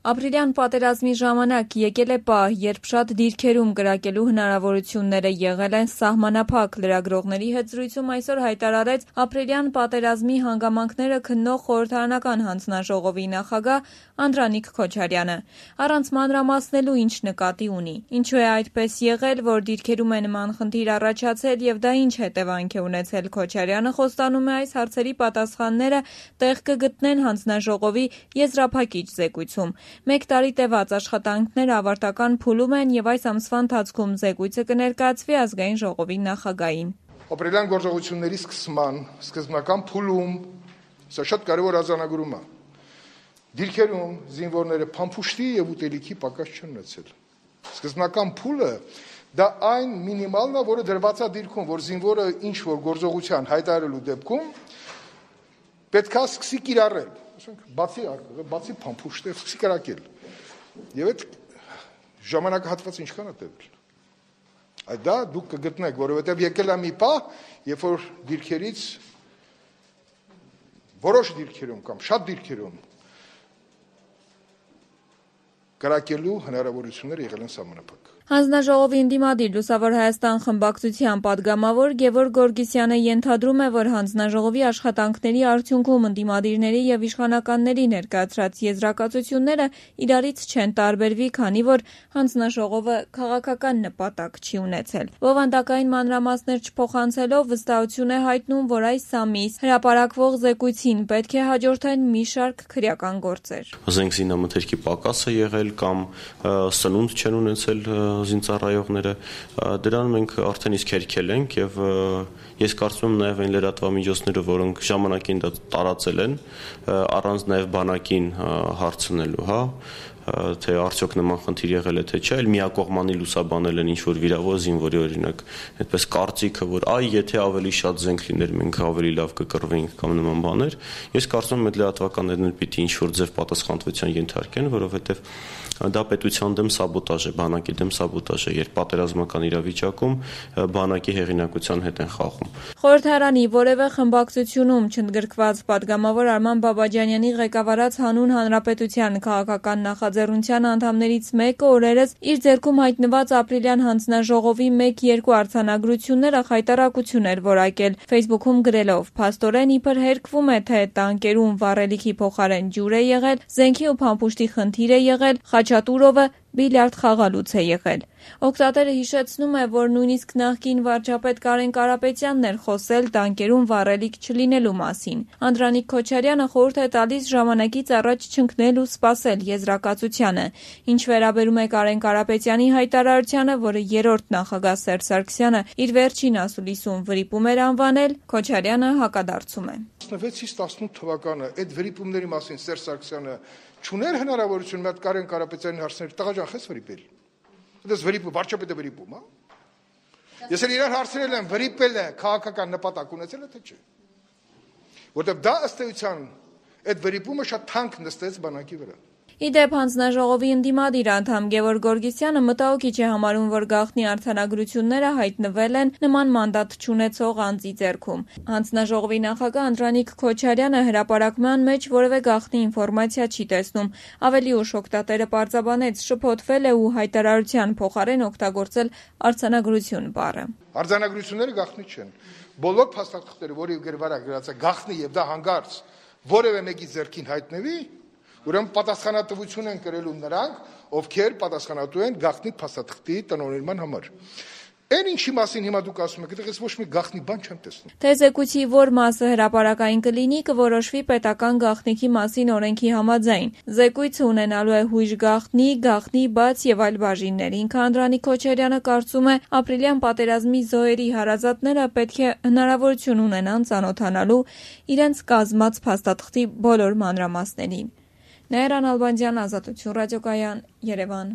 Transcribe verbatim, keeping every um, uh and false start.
Ապրիլյան պատերազմի ժամանակ եկել է պահ, երբ շատ դիրքերում կրակելու հնարավորությունները եղել են սահմանափակ։ Լրագրողների հետ զրույցում այսօր հայտարարեց ապրիլյան պատերազմի հանգամանքները քննող խորհրդարանական հանձնաժողովի նախագահ Անդրանիկ Քոչարյանը։ Առանց մանրամասնելու ինչ նկատի ունի։ Ինչու է այդպես եղել, որ դիրքերում է նման խնդիր առաջացել եւ դա ինչ հետևանք է ունեցել, Քոչարյանը խոստանում է այս հարցերի պատասխանները տեղ կգտնեն հանձնաժողովի եզրափակիչ զեկույցում։ Մեկ տարի տևած աշխատանքները ավարտական փուլում են եւ այս ամսվա ընթացքում զեկույցը կներկայացվի ազգային ժողովի նախագահին։ Ապրիլյան գործողությունների սկսման սկզբնական փուլում սա շատ կարևոր արձանագրում է։ Դիրքերում զինվորները փամփուշտի եւ ուտելիքի պակաս չեն ունեցել։ Սկզբնական փուլը դա այն մինիմալն է, որը դրված է դիրքում, որ զինվորը ինչ որ գործողության հայտարարելու դեպքում պետք է սկսի կիրառել։ Բացի բացի փամփուշտը սկսի կրակել։ Եվ այդ ժամանակահատվածը ինչքան է տևել։ Այդ դա դուք կգտնեք, որովհետև եկել է մի պահ, երբ որ դիրքերից որոշ դիրքերում կամ շատ դիրքերում կրակելու հնարավորությունները եղել են սահմանափակ։ Հանձնաժողովի ընդդիմադիր Լուսավոր Հայաստան խմբակցության պատգամավոր Գևորգ Գորգիսյանը ենթադրում է, որ հանձնաժողովի աշխատանքների արդյունքում ընդդիմադիրների եւ իշխանականների ներկայացրած եզրակացությունները իրարից չեն տարբերվի, քանի որ հանձնաժողովը քաղաքական նպատակ չի ունեցել։ Բովանդակային մանրամասներ չփոխանցելով վստահություն է հայտնում, որ այս ամիս հրապարակվող զեկույցին պետք է հաջորդեն մի շարք քրեական գործեր։ Զենք զինամթերքի պակաս է եղել կամ սնունդ չեն ունեցել զինծառայողները, դրան մենք արդեն իսկ հերքել ենք եւ ես կարծում եմ նաեւ այն լրատվամիջոցները, որոնք ժամանակին դա տարածել են, առանց նաեւ բանակին հարցնելու, հա, թե արդյոք նման խնդիր եղել է թե չէ, այլ միակողմանի լուսաբանել են ինչ-որ վիրավոր զինվորի օրինակ, այդպես կարծիքը, որ այ եթե ավելի շատ զենք լիներ, մենք ավելի լավ կկռվեինք կամ նման բաներ, ես կարծում եմ այդ լրատվականներն էլ պիտի ինչ-որ ձև պատասխանատվության ենթարկեն, որովհետև դա պետության դեմ սաբոտաժ է, բանակի դեմ սաբոտաժ է, երբ պատերազմական իրավիճակում բանակի հեղինակության հետ են խաղում։ Խորհրդարանի որևէ խմբակցությունում չընդգրկված պատգամավոր Արման Բաբաջանյանի ղեկավարած Հանուն Հանրապետության քաղաքական նախաձեռնության անդամներից մեկը օրերս իր ձեռքում հայտնված ապրիլյան հանձնաժողովի մեկ-երկու արձանագրությունները խայտառակություն էր որակել, Facebook-ում գրելով. «Փաստորեն իբր հերկվում է, թե տանկերում վառելիքի փոխարեն ջուր է եղել, զենքի ու փամփուշտի խնդիր է եղել, Խաչատուրովը բիլիարդ խաղալուց է եղել»։ Օգտատերը հիշեցնում է, որ նույնիսկ նախկին վարչապետ Կարեն Կարապետյանն էր խոսել տանկերում վառելիք չլինելու մասին։ Անդրանիկ Քոչարյանը խորհուրդ է տալիս ժամանակից առաջ չընկնել ու սպասել եզրակացությանը։ Ինչ վերաբերում է Կարեն Կարապետյանի հայտարարությանը, որը երրորդ նախագահ Սերժ Սարգսյանը իր վերջին ասուլիսում վրիպում էր անվանել, Քոչարյանը հակադարձում է։ տասնվեցից տասնութ թվականը այդ վրիպումների մասին Սերժ Սարգսյանը չուներ հնարավորություն մատ Կարեն Կարապետյանին հարցնել, տղա ջան, խես վրիպել։ Դες վրիպում, վարչապետը վրիպում, հա։ Ես էլ իրար հարցրել եմ, վրիպել է քաղաքական նպատակ ունեցել է թե չէ։ Որտեվ դա ըստ էության այդ վրիպումը շատ թանկ նստեց բանակի վրա։ Իդեպ հանձնաժողովի ընդդիմադիր անդամ Գևորգ Գորգիսյանը մտահոգիչ է համարում, որ գաղտնի արձանագրությունները հայտնվել են նման մանդատ չունեցող անձի ձեռքում։ Հանձնաժողովի նախագահ Անդրանիկ Քոչարյանը հրապարակման մեջ որևէ գաղտնի ինֆորմացիա չի տեսնում։ Ավելի ուշ օգտատերը պարզաբանեց, շփոթվել է ու հայտարարության փոխարեն օգտագործել արձանագրություն բառը։ Արձանագրությունները գաղտնի չեն։ Բոլոր փաստաթղթերը, որի գրվարա գրած է գաղտնի եւ դա հանգարց որևէ մեկի ձեռքին հայտնվի, ուրեմն պատասխանատվություն են կրելու նրանք, ովքեր պատասխանատու են գաղտնի փաստաթղթի տնօրինման համար։ Այն ինչի մասին հիմա դուք ասում եք, այդտեղից ոչ մի գաղտնի բան չեմ տեսնում։ Թե զեկույցի որ մասը հրապարակային կլինի, կորոշվի պետական գաղտնիքի մասին օրենքի համաձայն։ Զեկույցը ունենալու է հույժ գաղտնի, գաղտնի բաց եւ այլ բաժիններ։ Ինքը Անդրանիկ Քոչարյանը կարծում է, ապրիլյան պատերազմի զոհերի հարազատները պետք է հնարավորություն ունենան ծանոթանալու իրենց կազմած փաստաթղթի բոլոր մանրամասներին։ Նայիրան Ալբանդյան, Ազատություն ռադիոկայան, Երևան։